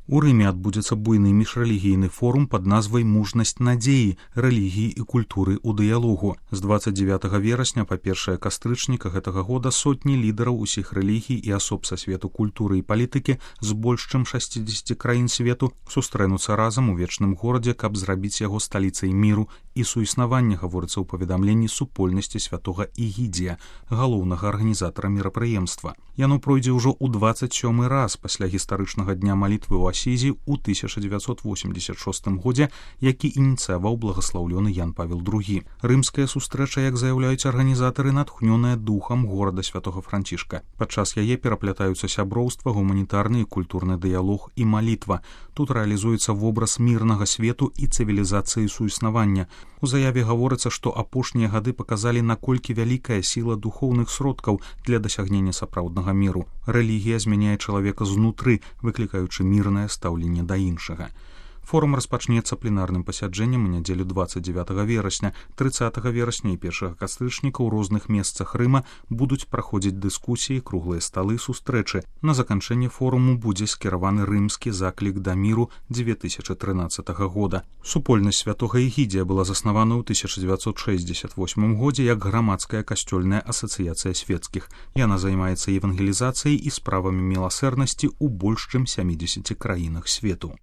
У Рыме адбудзецца буйны міжрэлігійны форум пад назвай «Мужнасць надзеі. Рэлігіі і культуры ў дыялогу». З 29 верасня па 1 кастрычніка гэтага года сотні лідараў усіх рэлігій і асоб са свету культуры і палітыкі з больш чым 60 краін свету сустрэнуцца разам у вечным горадзе, каб зрабіць яго сталіцай міру і суіснавання, гаворыцца ў паведамленні супольнасці святога Ігідзія, галоўнага арганізатара мерапрыемства. Яно пройдзе ўжо ў 27 раз пасля гістарычнага дня малітвы ў Асізі ў 1986 годзе, які ініцыяваў благаслаўлёны Ян Павел II. Рымская сустрэча, як заяўляюць арганізатары, натхнёная духам горада святога Францішка. Падчас яе пераплятаюцца сяброўства, гуманітарны і культурны дыялог і малітва. Тут рэалізуецца вобраз мірнага свету і цывілізацыі суіснавання. У заяве гаворыцца, што апошнія гады паказалі, наколькі вялікая сіла духоўных сродкаў для дасягнення сапраўднага міру. Рэлігія змяняе чалавека знутры, выклікаючы мірнае стаўленне да іншага. Форум распачнецца пленарным пасяджэннем у нядзелю 29 верасня, 30 верасня і 1 кастрычніка ў розных месцах Рыма будуць праходзіць дыскусіі, круглыя сталы, сустрэчы. На заканчэнне форуму будзе скіраваны рымскі заклік да міру 2013 года. Супольнасць святога Ігідзія была заснавана ў 1968 годзе як грамадская касцёльная асацыяцыя свецкіх. Яна займаецца евангелізацыяй і справамі міласэрнасці ў больш чым 70 краінах свету.